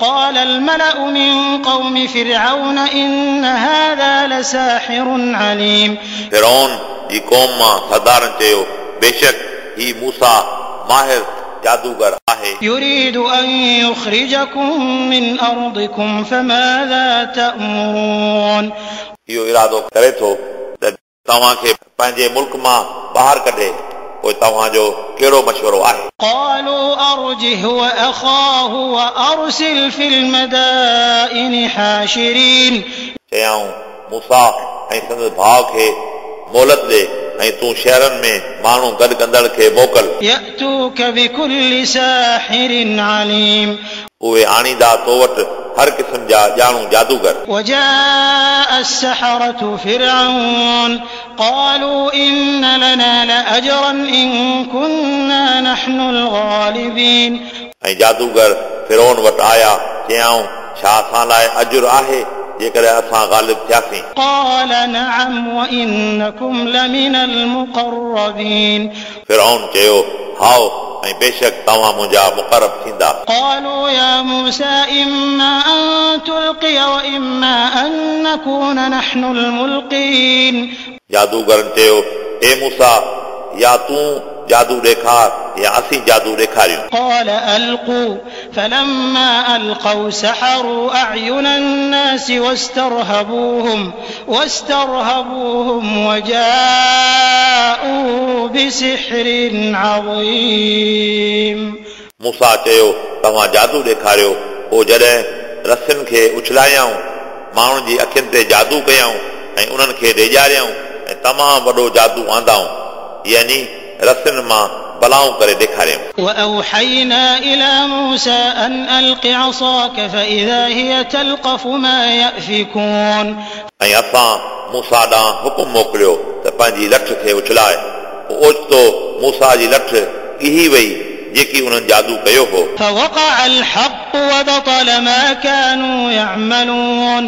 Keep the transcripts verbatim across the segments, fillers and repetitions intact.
قال الملأ من قوم فرعون إن هذا لساحر عليم. फिरौन जी क़ौम मां सरदारनि चयो, बेशक ही मूसा माहिर जादूगर आहे। يريد أن يخرجكم من أرضكم فماذا تأمرون. इहो इरादो करे थो त तव्हांखे पंहिंजे मुल्क मां ॿाहिरि कढे, पोइ तव्हांजो कहिड़ो मशवरो आहे? قالوا أرجه وأخاه وأرسل في المدائن حاشرين. चयाऊं, मूसा ऐं संदसि भाउ खे मोहलत ॾे ऐं तूं शहरनि में माण्हू गॾु कंदड़ खे मोकल। يأتوك بكل ساحر عليم. उहे आणींदा तो वटि हर क़िस्म जा ॼाणू जादूगर। وجاء السحرة فرعون قالوا إن لنا لأجرا إن كنا نحن الغالبين. ऐं जादूगर फिरौन वटि आया, चयाऊं, छा असां लाइ अजुर आहे जेकॾहिं असां ग़ालिब थियासीं? قال نعم وإنكم لمن المقربين. फिरौन चयो, हाओ, ऐं बेशक तव्हां मुंहिंजा मुक़रब थींदा। قالوا يا موسى إما أن تلقي وإما أن نكون نحن الملقين. जादूगरनि चयो, ए मूसा, या तूं जादू ॾेखार या असीं जादू ॾेखारियूं। قال ألقوا فلما ألقوا سحروا أعين الناس واسترهبوهم واسترهبوهم وجاءوا بسحر عظيم. मूसा चयो, तव्हां जादू ॾेखारियो। पोइ जॾहिं रसियुनि खे उछलायाऊं, माण्हुनि जी अखियुनि ते जादू कयाऊं ऐं उन्हनि खे ॾेॼारियाऊं ऐं तमामु वॾो जादू आंदाऊं, यानी रसियुनि मां बलाऊं करे ॾेखारियऊं। وأوحينا إلى موسى أن ألق عصاك فإذا هي تلقف ما يأفكون. ऐं असां मूसा ॾांहुं हुकुम मोकिलियो त पंहिंजी लठ खे उछलाए। पोइ ओचितो मूसा जी लठ ॻिही वई, जेकी उन्हनि जादू कयो हो। فوقع الحق وبطل ما كانوا يعملون.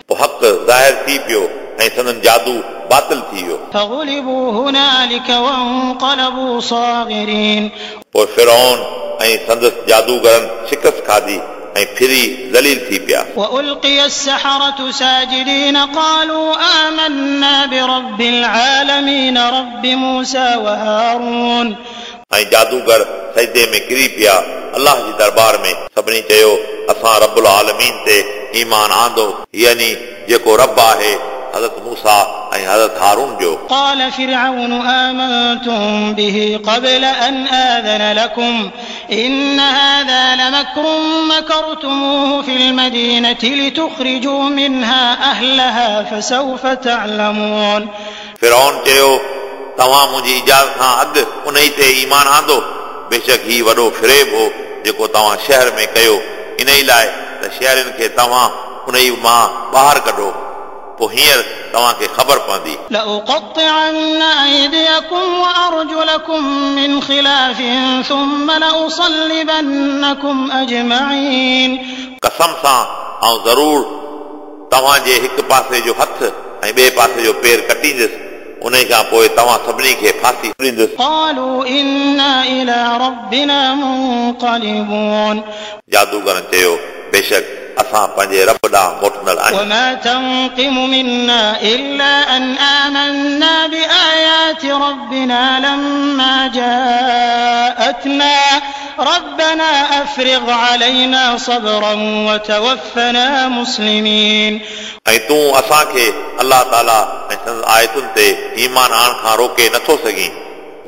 पोइ हक़ ज़ाहिर थी पियो ऐं संदन जादू बातिल थी वियो। فغلبوا هنالك وانقلبوا صاغرين. पोइ फिरौन ऐं संदसि जादूगरनि शिकस्त खाधी ऐं फिरी ज़लील थी पिया। وألقي السحرة ساجدين قالوا آمنا برب العالمين رب موسى وهارون. ऐं जादूगर सजदे में किरी पिया अल्लाह जी दरबार में। सभिनी चयो, असां रबुल आलमीन ते ईमान आंदो, यानी जेको रब आहे हज़रत मूसा ऐं हज़रत हारून जो। قال فرعون آمنتم به قبل أن آذن لكم إن هذا لمكر مكرتموه في المدينة لتخرجوا منها أهلها فسوف تعلمون. फिरौन चयो, तव्हां मुंहिंजी इजाज़त खां अॻु उन ई ते ईमान आंदो, बेशक ही वॾो फ़रेब हो जेको तव्हां शहर में कयो, इन ई लाइ त शहरनि खे तव्हां उन ई मां ॿाहिरि कढो, पोइ हींअर तव्हांखे ख़बर पवंदी। لأقطعن أيديكم وأرجلكم من خلاف ثم لأصلبنكم أجمعين. कसम सां आउं ज़रूर तव्हांजे हिकु पासे जो हथु ऐं ॿिए पासे जो पेर कटींदुसि, उन खां पोइ तव्हां सभिनी खे फांसी ॾींदुसि। قالوا إنا إلى ربنا منقلبون. जादूगरनि चयो, बेशक असां पंहिंजे रब ॾांहुं मोटंदड़ आहियूं। وما تنقم منا إلا أن آمنا بآيات ربنا لما جاءتنا ربنا أفرغ علينا صبرا وتوفنا مسلمين. ऐं तूं असांखे अलाह ताला ऐं संदसि आयतुनि ते ईमान आणण खां रोके नथो सघीं,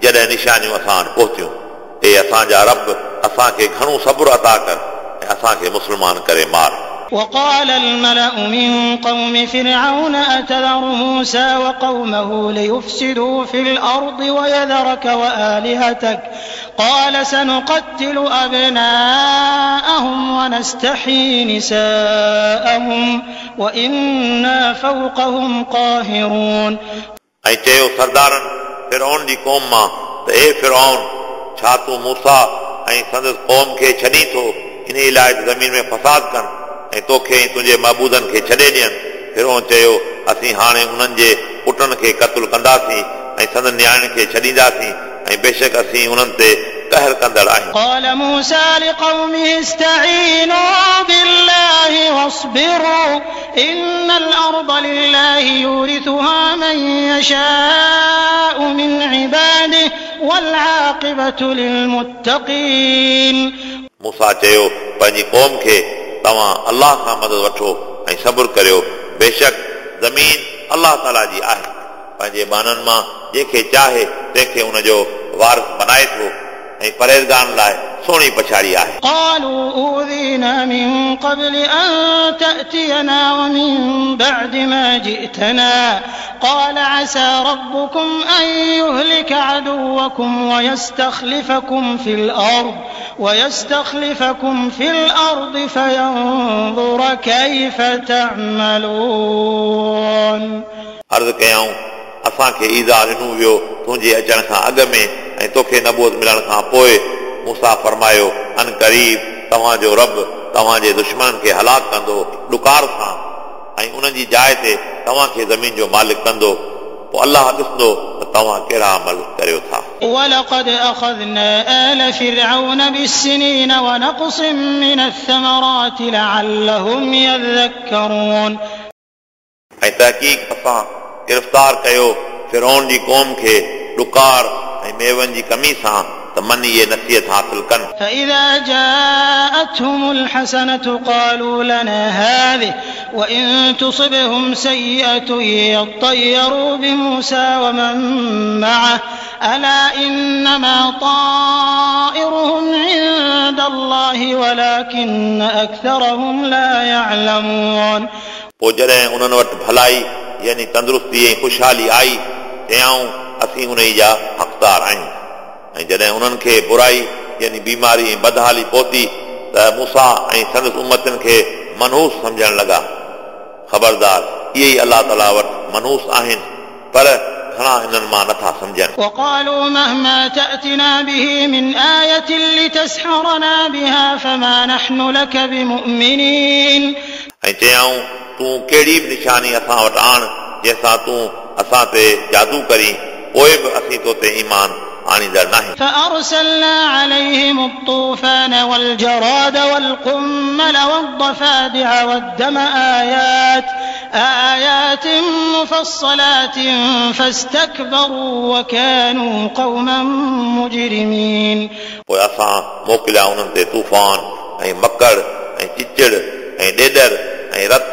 जॾहिं निशानियूं असां वटि पहुतियूं। ए असांजा रब, असांखे घणो सब्र अता कर ऐं असांखे मुस्लमान करे मार। وقال الملأ من قوم فرعون أتذر موسى وقومه ليفسدوا في الأرض ويذرك وآلهتك قال سنقتل أبناءهم ونستحيي نساءهم وإنا فوقهم قاهرون. ऐं चयो सरदारनि फिरौन जी क़ौम मां त ए फिरौन, छा तूं मूसा ऐं संदसि क़ौम खे छॾी थो इन लाइ ज़मीन में फसाद कनि ऐं तोखे ऐं तुंहिंजे महबूदनि खे छॾे ॾियनि? फिरौन चयो, असीं हाणे उन्हनि जे पुटनि खे क़तलु कंदासीं ऐं संदन नियाणियुनि खे छॾींदासीं ऐं बेशक असीं उन्हनि ते क़हर कंदड़ आहियूं। قال موسى لقومه استعينوا بالله واصبروا إن الأرض لله يورثها من يشاء من عباده والعاقبة للمتقين। मूसा चयो पंहिंजी क़ौम खे तव्हां अल्लाह खां मदद वठो ऐं सब्र करियो, बेशक ज़मीन अल्लाह ताला जी आहे, पंहिंजे ॿाननि मां जंहिंखे चाहे तंहिंखे उनजो वारिस बनाए थो ऐं परहेज़गारनि लाइ सुहिणी पछाड़ी आहे। قالوا أوذينا من قبل أن تأتينا ومن بعد ما جئتنا قال عسى ربكم أن يهلك عدوكم ويستخلفكم في الأرض ويستخلفكم في الأرض فينظر كيف تعملون। अर्ज़ कयाऊं असांखे ईज़ा ॾिनो वियो तुंहिंजे अचण खां अॻु में ऐं तोखे नबूअत मिलण खां पोइ। मूसा फरमायो अन क़रीब तव्हांजो रब तव्हांजे दुश्मननि खे हलाक कंदो ॾुकार सां ऐं उन्हनि जी जाइ ते तव्हांखे ज़मीन जो मालिक कंदो, पोइ अल्लाह ॾिसंदो त तव्हां कहिड़ा अमल करियो था। ولقد أخذنا آل فرعون بالسنين ونقص من الثمرات لعلهم يذكرون। ऐं तहक़ीक़ असां गिरफ़्तार कयो फिरौन जी क़ौम खे ॾुकार ऐं मेवनि जी कमी सां त मन इहे नसीहत हासिल कनि। فإذا جاءتهم الحسنة قالوا لنا هذه وإن تصبهم سيئة يطيروا بموسى ومن معه ألا إنما طائرهم عند الله ولكن أكثرهم لا يعلمون। पोइ जॾहिं उन्हनि वटि भलाई यानी तंदुरुस्ती ऐं ख़ुशहाली आई चयाऊं असीं उन जा हक़दार आहियूं, ऐं जॾहिं उन्हनि खे बुराई यानी बीमारी ऐं बदहाली पहुती त मूसा ऐं संदसि उम्मतनि खे मनहूस सम्झण लॻा। ख़बरदार इहे ई अल्लाह ताला वटि मनहूस आहिनि, पर घणा हिननि मां नथा सम्झनि। وقالوا مهما تأتنا به من آية لتسحرنا بها فما نحن لك بمؤمنين। ऐं चयाऊं तूं कहिड़ी बि निशानी असां वटि आण जंहिंसां तूं असां ते जादू करीं, पोइ बि असीं तो ते ईमान आणींदड़ नाहियूं। فأرسلنا عليهم الطوفان والجراد والقمل والضفادع والدم آيات آيات مفصلات فاستكبروا وكانوا قوما مجرمين। पोइ असां मोकिलिया उन्हनि ते तूफ़ान ऐं मकड़ ऐं चिचड़ ऐं ॾेॾर ऐं रत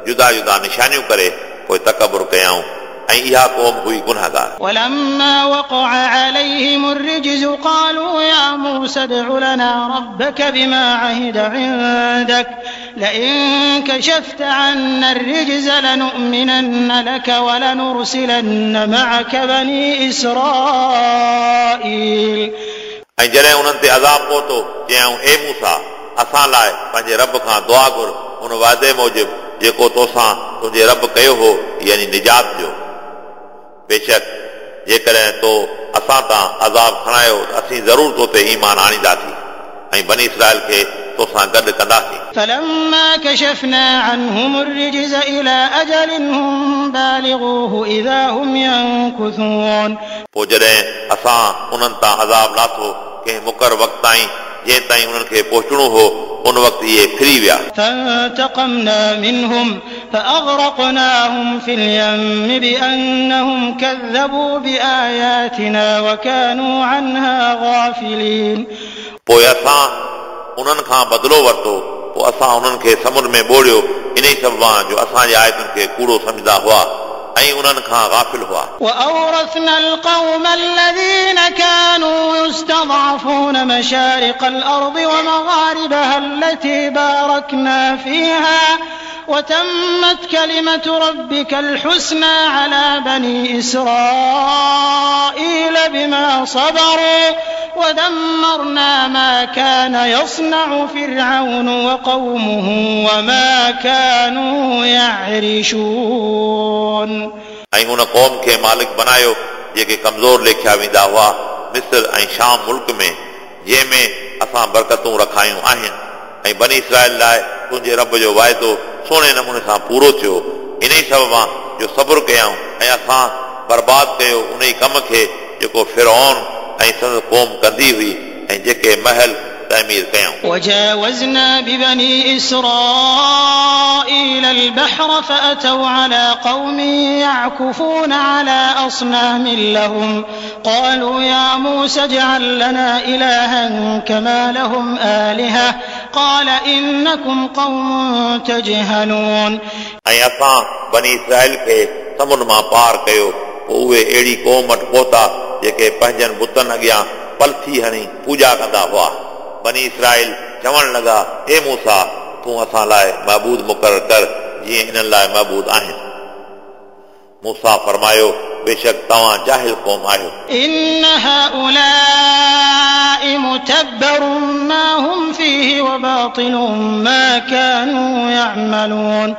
जुदा जुदा निशानियूं करे पोइ तकबुर कयाऊं ऐं इहा क़ौम हुई गुनाहगार। ولما وقع عليهم الرجز قالوا يا موسى ادع لنا ربك بما عهد عندك لئن كشفت عنا الرجز لنؤمنن لك ولنرسلن معك بني إسرائيل। ऐं जॾहिं उन्हनि ते अज़ाब पहुतो चयाऊं ए मूसा असां लाइ पंहिंजे रब खां दुआ घुर उन वाइदे मूजिबि जेको तोसां तुंहिंजे रब कयो हो यानी निजात जो, बेशक जेकॾहिं तो असां तां अज़ाब खणायो त असीं ज़रूर तो ते ईमान आणींदासीं ऐं बनी इसराइल खे तोसां गॾु कंदासीं। فلما كشفنا عنهم الرجز إلى أجل هم بالغوه إذا هم ينكثون। पोइ जॾहिं असां उन्हनि तां अज़ाब लाथो कंहिं मुक़ररु वक़्त ताईं जंहिं ताईं उन्हनि खे पहुचणो हो उन वक़्तु इहे फिरी विया। فانتقمنا منهم فأغرقناهم في اليم بأنهم كذبوا بآياتنا وكانوا عنها غافلين। पोइ असां उन्हनि खां बदिलो वरितो, पोइ असां उन्हनि खे समुंड में ॿोड़ियो इन ई सबबु जो असांजी आयतुनि खे कूड़ो सम्झंदा हुआ ऐं उन्हनि खां ग़ाफ़िल हुआ। وأورثنا القوم الذين كانوا يستضعفون مشارق الأرض ومغاربها التي باركنا فيها وتمت كلمة ربك الحسنى على بني إسرائيل بما صبروا ودمرنا ما كان يصنع فرعون وقومه وما كانوا يعرشون. ऐं उन क़ौम खे मालिक बनायो जेके कमज़ोर लेखिया वेंदा हुआ मिस्र ऐं शाम मुल्क में, जंहिंमें असां बरकतूं रखायूं आहिनि। ऐं बनी इसराइल लाइ तुंहिंजे रब जो वाइदो सुहिणे नमूने सां पूरो थियो, इन ई सबब जो सब्र कयाऊं ऐं असां बर्बाद कयो उन ई कम खे जेको फिरौन ऐं संदसि क़ौम कंदी हुई ऐं जेके महल तइमीर कयाऊं। وجاوزنا ببني إسرائيل البحر فأتوا على قوم يعكفون على أصنام لهم قالوا يا موسى اجعل لنا إلها كما لهم آلهة قال إنكم قوم تجهلون। ऐं असां बनी इसराइल खे समुंड मां पार कयो, पोइ उहे अहिड़ी क़ौम वटि पहुता जेके पंहिंजनि बुतनि अॻियां पलथी हणी पूॼा कंदा हुआ। बनी इसराइल चवणु लॻा, हे मूसा, तूं असां लाइ महबूद मुक़ररु कर जीअं इन्हनि लाइ महबूद आहिनि। मूसा फरमायो, बेशक तव्हां जाहिल क़ौम आहियो। إن هؤلاء متبر ما هم فيه وباطل ما كانوا يعملون।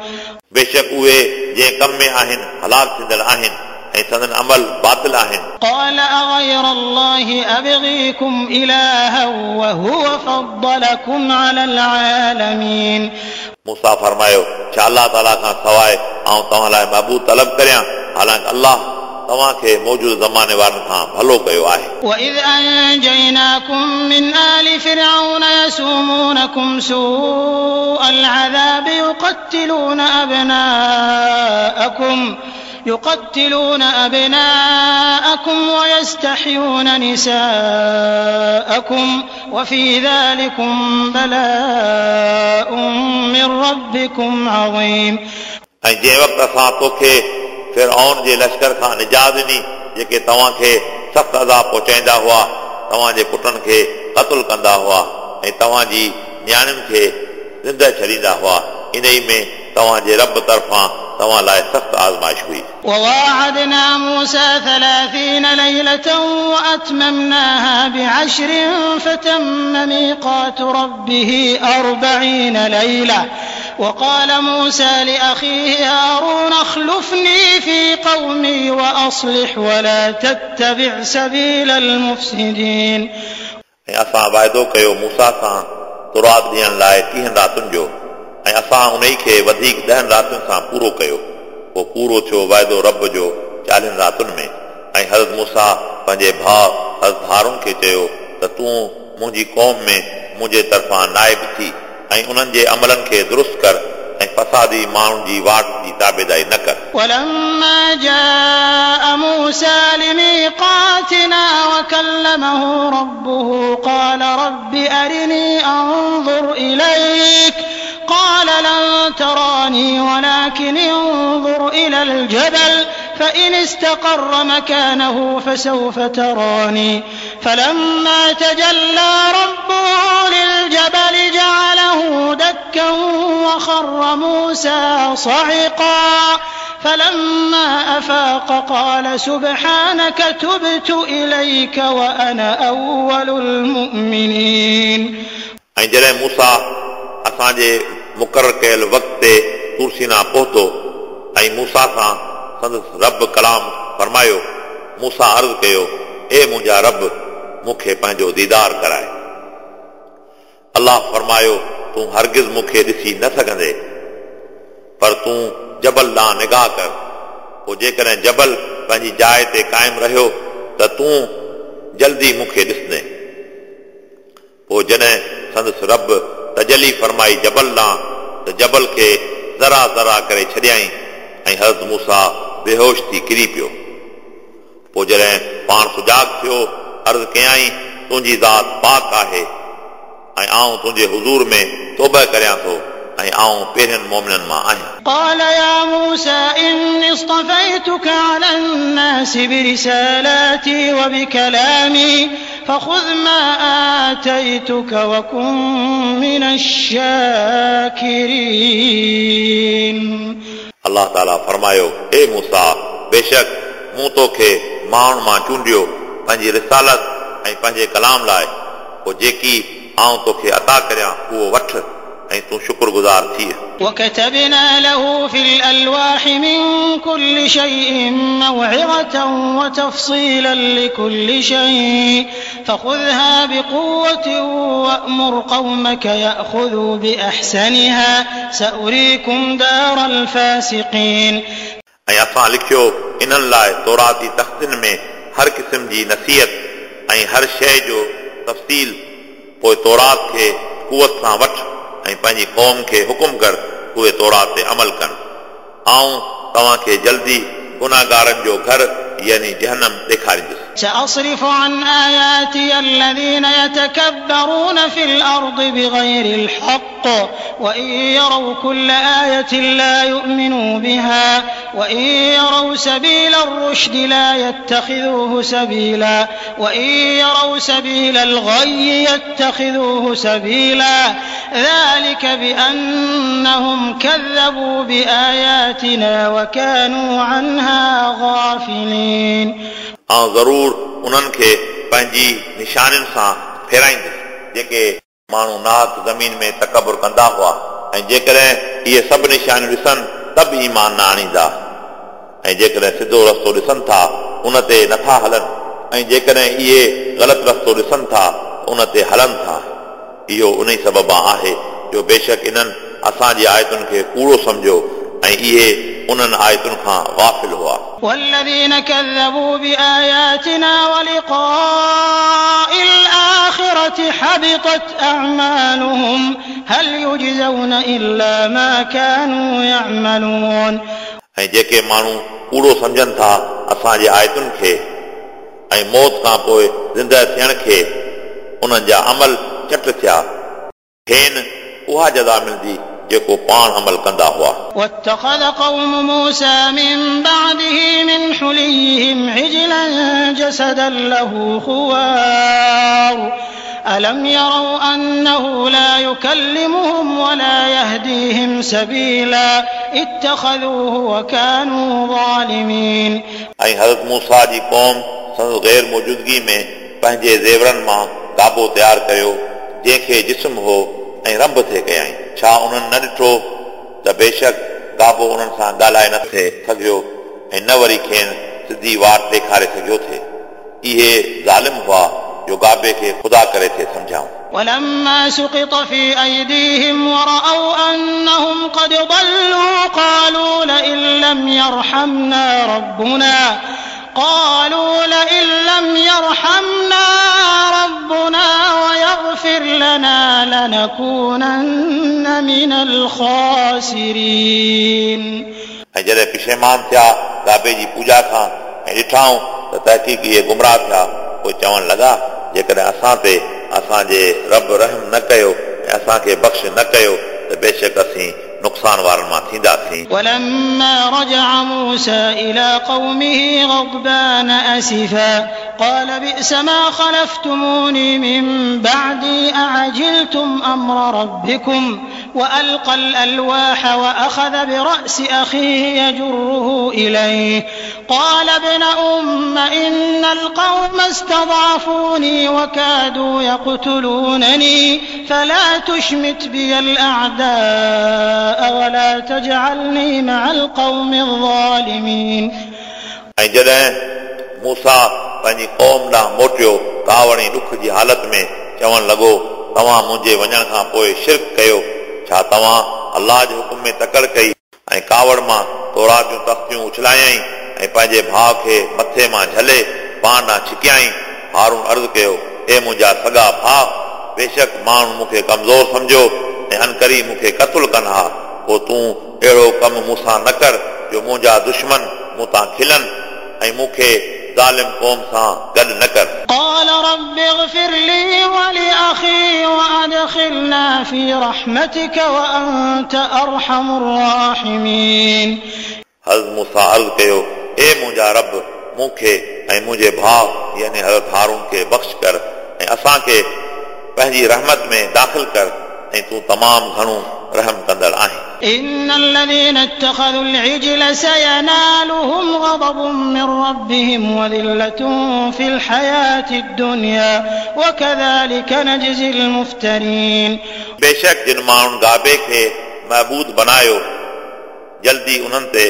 बेशक उहे जंहिं कम में आहिनि हलाक थींदड़ आहिनि ऐं संदन अमल बातिल आहिनि। قال أغير الله أبغيكم إلها وهو فضلكم على العالمين। मूसा फरमायो, छा अल्लाह ताला खां सवाइ आउं तव्हां लाइ महबूद तलब करियां, हालांकि अल्लाह तव्हांखे मौजूद ज़माने वारनि खां भलो कयो आहे। وإذ أنجيناكم من آل فرعون يسومونكم سوء العذاب يقتلون أبناءكم يقتلون أبناءكم ويستحيون نساءكم وفي ذلكم بلاء من ربكم عظيم। ऐं जंहिं वक़्तु असां तोखे फिरऔन जे लश्कर खां निजात ॾिनी, जेके तव्हांखे सख़्तु अज़ाब पहुचाईंदा हुआ, तव्हांजे पुटनि खे क़तलु कंदा हुआ ऐं तव्हांजी नियाणियुनि खे ज़िंदा छॾींदा हुआ, इन ई में तव्हांजे रब तरफ़ां तव्हां लाइ सख़्तु आज़माइश हुई। وواعدنا موسى ثلاثين ليلة وأتممناها بعشر فتم ميقات ربه أربعين ليلة وقال موسى لأخيه هارون اخلفني في قومي وأصلح ولا تتبع سبيل المفسدين। ऐं असां वाइदो कयो मूसा सां तौरात ॾियण लाइ टीहनि रातियुनि जो, ऐं असां उन खे वधीक ॾहनि रातियुनि सां पूरो कयो। पोइ पूरो थियो वाइदो रब जो चालीहनि रातियुनि में। ऐं हज़रत मूसा पंहिंजे भाउ हज़रत हारून खे चयो त तूं मुंहिंजी क़ौम में मुंहिंजे तरफ़ां नाइब थी ऐं उन्हनि जे अमलनि खे दुरुस्त कर ऐं फसादी माण्हुनि जी वाट जी ताबेदारी न कर। ولما جاء موسى لميقاتنا وكلمه ربه قال رب أرني أنظر إليك قال لن تراني ولكن انظر إلى الجبل فإن استقر مكانه فسوف تراني فلما تجلى ربه للجبل جعله دكا وخر موسى صعقا فلما أفاق قال سبحانك تبت إليك وأنا أول المؤمنين. ऐं जॾहिं मूसा असांजे मुक़ररु कयल वक़्त ते तुरसीना पहुतो ऐं मूसा सां संदसि रब कलाम फरमायो, मूसा अर्ज़ कयो, ए मुंहिंजा रब, मूंखे पंहिंजो दीदार कराए। अल्लाह फरमायो, तूं हरगिज़ मूंखे ॾिसी न सघंदे, पर तूं जबल ॾांहुं निगाह कर, पोइ जेकॾहिं जबल पंहिंजी जाइ ते क़ाइमु रहियो त तूं जल्दी मूंखे ॾिसंदे। पोइ जॾहिं संदसि रब तजली फरमाई जबल ॾांहुं त जबल खे ज़रा ज़रा करे छॾियाईं ऐं हज़रत मूसा बेहोश थी किरी पियो। पोइ जॾहिं पाण सुजाग थियो, अर्ज़ कयाईं, तुंहिंजी ज़ात पाक आहे ऐं आउं तुंहिंजे हुज़ूर में तौबा करियां थो ऐं आउं पहिरियनि मोमिननि मां आहियां। قال يا موسى إني اصطفيتك على الناس برسالاتي وبكلامي فخذ ما آتيتك وكن من الشاكرين. अल्लाह ताला फरमायो, ए मूसा, बेशक मूं तोखे माण्हुनि मां चूंडियो पंहिंजी रिसालत ऐं पंहिंजे कलाम लाइ, पोइ जेकी आउं तोखे अता करियां उहो वठि ऐं तूं शुक्रगुज़ार थी। وكتبنا له في الألواح من كل شيء موعظة وتفصيلا لكل شيء فخذها بقوة وأمر قومك يأخذوا بأحسنها سأريكم دار الفاسقين. ऐं असां लिखियो इन्हनि लाइ तौराती तख़्तियुनि में हर क़िस्म जी नसीहत ऐं हर शइ जो तफ़सील। पोइ तौरात खे कुवत सां वठि ऐं पंहिंजी क़ौम खे हुकुम कर उहे तौरात ते अमल कनि। आऊं तव्हांखे जल्दी गुनाहगारनि जो घर यानी जहन्नम ॾेखारींदुसि। سأصرف عن آياتي الذين يتكبرون في الأرض بغير الحق وإن يروا كل آية لا يؤمنوا بها وإن يروا سبيل الرشد لا يتخذوه سبيلا وإن يروا سبيل الغي يتخذوه سبيلا ذلك بأنهم كذبوا بآياتنا وكانوا عنها غافلين। आउं ज़रूर उन्हनि खे पंहिंजी निशानियुनि सां फेराईंदुसि जेके माण्हू नाहक ज़मीन में तकबुर कंदा हुआ, ऐं जेकॾहिं इहे सभु निशानियूं ॾिसनि त बि ईमान न आणींदा, ऐं जेकॾहिं सिधो रस्तो ॾिसनि था उन ते नथा हलनि, ऐं जेकॾहिं इहे ग़लति रस्तो ॾिसनि था उन ते हलनि था। इहो उन ई सबब आहे जो बेशक इन्हनि असांजी आयतुनि खे कूड़ो सम्झो ऐं इहे उन्हनि आयतुनि खां गाफ़िल हुआ। والذين كذبوا بآياتنا ولقاء الآخرة حبطت أعمالهم هل يجزون إلا ما كانوا يعملون। ऐं जेके माण्हू कूड़ो सम्झनि था असांजी आयतुनि खे ऐं मौत खां पोइ ज़िंदा थियण खे, उन्हनि जा अमल चट थिया, खेनि उहा जज़ा मिलंदी जेको पाण अमल कंदा हुआ। واتخذ قوم موسى من بعده من حليهم عجلا جسدا له خوار ألم يروا أنه لا يكلمهم ولا يهديهم سبيلا اتخذوه وكانوا ظالمين। ऐं हज़रत मूसा जी क़ौम संदसि गैर मौजूदगी में पंहिंजे ज़ेवरनि मां गाबो तयारु कयो जंहिंखे जिस्म हो ऐं रंभ थे कयाईं। छा उन्हनि न ॾिठो त बेशक गाबो उन्हनि सां ॻाल्हाए न थे सघियो ऐं न वरी खेनि सिधी वाट ॾेखारे सघियो थे। इहे ज़ालिम हुआ जो गाबे खे ख़ुदा करे थे सम्झाऊं। ولما سقط في أيديهم ورأوا أنهم قد ضلوا قالوا لئن لم يرحمنا ربنا قالوا لئن لم يرحمنا ربنا ويغفر لنا لنكونن من الخاسرين। ऐं जॾहिं पिशेमान थिया गाबे जी पूजा खां ऐं ॾिठाऊं त तहक़ीक़ इहे गुमराह थिया, पोइ चवणु लॻा जेकॾहिं असां ते असांजे रब रहम न कयो ऐं असांखे बख़्श न कयो त बेशक असीं नुक़सान वारनि मां थींदासीं। ولما رجع موسى إلى قومه غضبان أسفا قال بئس ما خلفتموني من بعدي أعجلتم أمر ربكم وألقى الألواح وأخذ برأس أخيه يجره إليه قال ابن أم إن القوم استضعفوني وكادوا يقتلونني فلا تشمت بي الأعداء ولا تجعلني مع القوم الظالمين। ऐं जॾहिं मूसा पंहिंजी क़ौम ॾांहुं मोटियो कावड़ ऐं ॾुख जी हालत में चवणु लॻो, तव्हां मुंहिंजे वञण खां पोइ शिर्क कयो, छा तव्हां अल्लाह जे हुकुम में तकड़ कई ऐं कावड़ मां तौरात जूं तख़्तियूं उछलायईं ऐं पंहिंजे भाउ खे मथे मां झले पाण ॾांहुं छिकियाईं। हारून अर्ज़ु कयो, हे मुंहिंजा सॻा भाउ, बेशक माण्हू मूंखे कमज़ोर सम्झो ऐं अनकरी मूंखे क़तलु कनि हा, पोइ तूं अहिड़ो कमु मूंसां न कर जो मुंहिंजा दुश्मन मूं तां खिलनि ऐं मूंखे ज़ालिम क़ौम सां गॾु न कर। قال رب اغفر لي ولأخي وأدخلنا في رحمتك وأنت أرحم الراحمين। हज़रत मूसा अर्ज़ु कयो, हे मुंहिंजा रब, मूंखे ऐं मुंहिंजे भाउ यानी हज़रत हारून खे बख़्श कर ऐं असांखे पंहिंजी रहमत में दाख़िल कर ऐं तूं तमामु घणो रहम कंदड़ आहीं। إن الذين اتخذوا العجل سينالهم غضب من ربهم وذلة في الحياة الدنيا وكذلك نجزي المفترين। बेशक जिन माण्हुनि गाबे खे महबूद बनायो जल्दी उन्हनि ते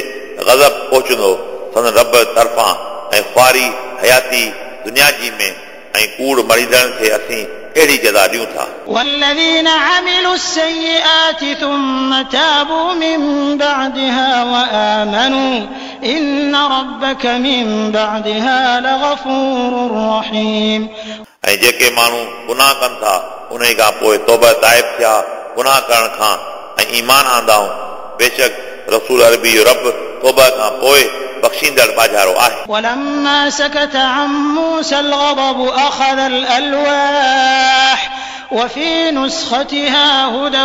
गज़ब पहुचंदो संदन रब तरफ़ां ऐं ख़्वारी हयाती दुनिया जी में ऐं कूड़ मरीदड़नि खे असीं अहिड़ी जज़ा ॾियूं था। والذين عملوا السيئات ثم تابوا من بعدها وآمنوا إن ربك من بعدها لغفور رحيم। ऐं जेके माण्हू गुनाह कनि था उन खां पोइ तौबा ताइब थिया गुनाह करण खां ऐं ईमान आंदाऊं बेशक रसूल अरबी जो रब तौबा खां पोइ बख़्शींदड़ बाजारो आहे। ولما سكت عن موسى الغضب أخذ الألواح وفي نسختها هدى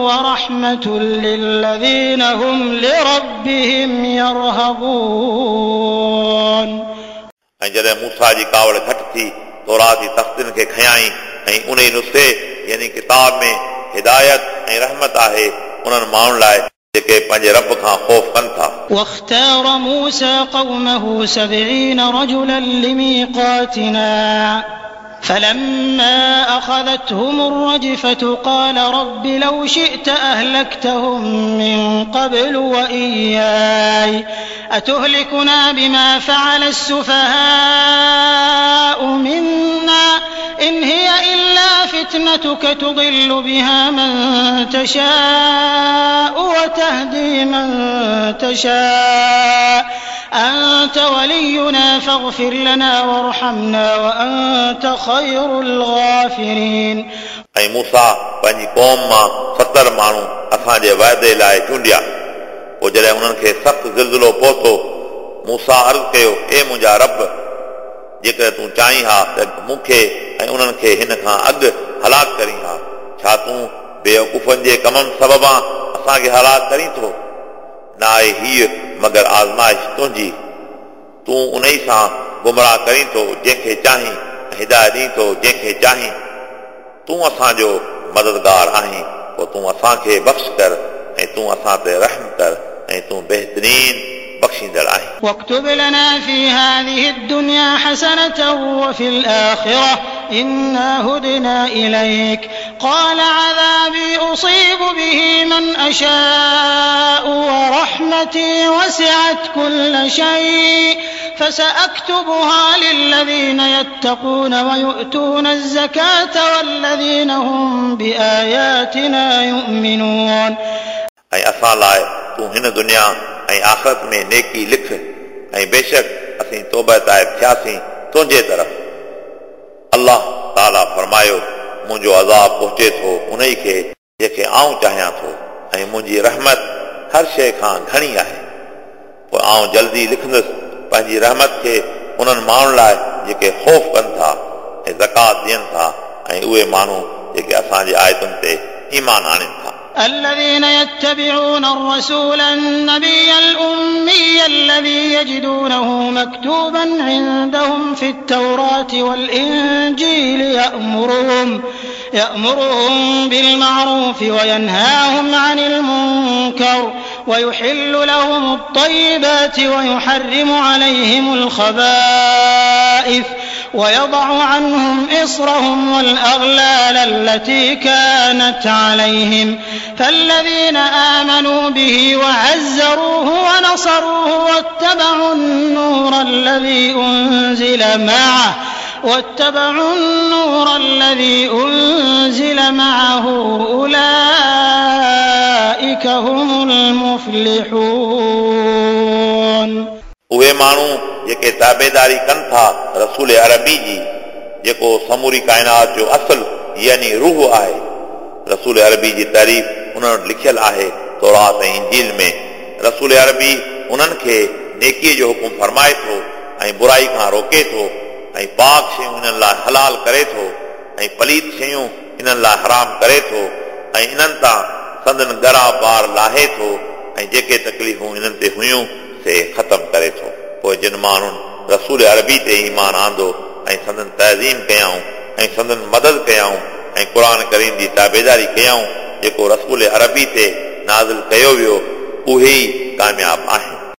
ورحمة للذين هم لربهم يرهبون। ऐं जॾहिं मूसा जी कावड़ घटि थी तौरात जी तख़्तियुनि खे खयाई ऐं उन नुस्खे यानी किताब में हिदायत ऐं रहमत आहे उन्हनि माण्हुनि लाइ जेके पंहिंजे रब खां ख़ौफ़ कनि था। واختار موسى قومه سبعين رجلا لميقاتنا فلما أخذتهم الرجفة قال رب لو شئت أهلكتهم من قبل وإياي أتهلكنا بما فعل السفهاء منا إن هي إلا فتنتك تضل بها من تشاء وتهدي من تشاء أنت ولينا فاغفر لنا وارحمنا وأنت خير الغافرين। ऐं मूसा पंहिंजी क़ौम मां सतरि माण्हू असांजे वाइदे लाइ चूंडिया। पोइ जॾहिं उन्हनि खे सख़्तु ज़िलज़िलो पहुतो मूसा अर्ज़ कयो, ए मुंहिंजा रब, जेकॾहिं तूं चाहीं हा त मूंखे ऐं उन्हनि खे हिन खां अॻु हलाक करीं हा। छा तूं बेवकूफ़नि जे कमनि सबबां असांखे हलाक करीं थो? न आहे हीअ मगर आज़माइश तुंहिंजी, तूं उन ई सां गुमराह करीं थो जंहिंखे चाहीं ऐं हिदायत ॾीं थो जंहिंखे चाहीं। तूं असांजो मददगार आहीं, पोइ तूं असांखे बख़्श कर ऐं तूं असां ते रहम कर ऐं तूं बहितरीन बख़्शींदड़ आहीं। واكتب لنا في هذه الدنيا حسنة وفي الآخرة إنا هدنا إليك قال عذابي أصيب به من أشاء ورحمتي وسعت كل شيء فسأكتبها للذين يتقون ويؤتون الزكاة والذين هم بآياتنا يؤمنون। ऐं असां लाइ तूं हिन दुनिया ऐं आख़िरत में नेकी लिख ऐं बेशक असीं तौबा ताइब थियासीं तुंहिंजे तरफ़। अल्लाह ताला फरमायो, मुंहिंजो अज़ाब पहुचे थो उन ई खे जंहिंखे आउं चाहियां थो ऐं मुंहिंजी रहमत हर शइ खां घणी आहे। पोइ आउं जल्दी लिखंदुसि पंहिंजी रहमत खे उन्हनि माण्हुनि लाइ जेके ख़ौफ़ कनि था ऐं ज़कात ॾियनि था ऐं उहे माण्हू जेके असांजे आयतुनि ते ईमान आणनि था। الذين يتبعون الرسول النبي الأمي الذي يجدونه مكتوبا عندهم في التوراة والإنجيل يأمرهم يأمرهم بالمعروف وينهاهم عن المنكر ويحل لهم الطيبات ويحرم عليهم الخبائث ويضع عنهم إصرهم والأغلال التي كانت عليهم فالذين آمنوا به وعزروه ونصروه واتبعوا النور الذي أنزل معه واتبعوا النور الذي أنزل معه أولئك هم المفلحون। उहे माण्हू जेके ताबेदारी कनि था रसूल अरबी जी, जेको समूरी काइनात जो असुलु यानी रूह आहे। रसूल अरबी जी तारीफ़ उन्हनि वटि लिखियलु आहे तौरात ऐं इंजील में। रसूल अरबी उन्हनि खे नेकीअ जो हुकुम फरमाए थो ऐं बुराई खां रोके थो ऐं पाक शयूं इन्हनि लाइ हलाल करे थो ऐं पलीत शयूं इन्हनि लाइ हराम करे थो ऐं इन्हनि तां संदन ॻरा बार लाहे थो ऐं जेके तकलीफ़ूं इन्हनि ते हुयूं से ख़तमु करे थो। पोइ जिन माण्हुनि रसूल अरबी ते ईमान आंदो ऐं संदन तज़ीम कयाऊं ऐं संदन मदद कयाऊं ऐं क़ुर करीम जी ताबेदारी कयाऊं जेको रसूल अरबी ते नाज़िल कयो वियो, उहे ई कामयाब आहिनि।